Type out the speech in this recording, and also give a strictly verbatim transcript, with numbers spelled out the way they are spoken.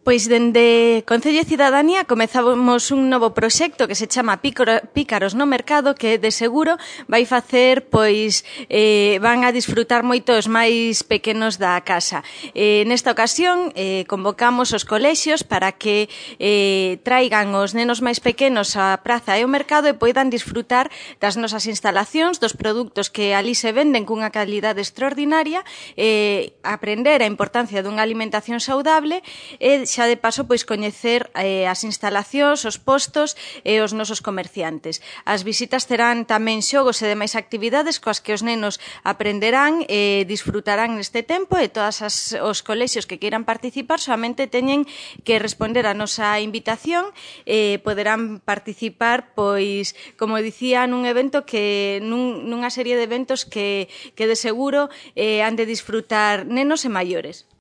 Pois dende Concello e Cidadanía comezamos un novo proxecto que se chama Pícaros no Mercado, que de seguro vai facer, pois, eh, van a disfrutar moito os máis pequenos da casa. Eh, nesta ocasión eh, convocamos os colexios para que eh, traigan os nenos máis pequenos á praza e ao mercado e poidan disfrutar das nosas instalacións, dos produtos que ali se venden cunha calidade extraordinaria, eh, aprender a importancia dunha alimentación saudable e xa de paso pois coñecer eh, as instalacións, os postos e os nosos comerciantes. As visitas terán tamén xogos e demais actividades coas que os nenos aprenderán e disfrutarán neste tempo, e todas as, os colexios que queiran participar solamente teñen que responder a nosa invitación e poderán participar, pois, como dicía, nun evento que nun, nunha serie de eventos que, que de seguro eh, han de disfrutar nenos e maiores.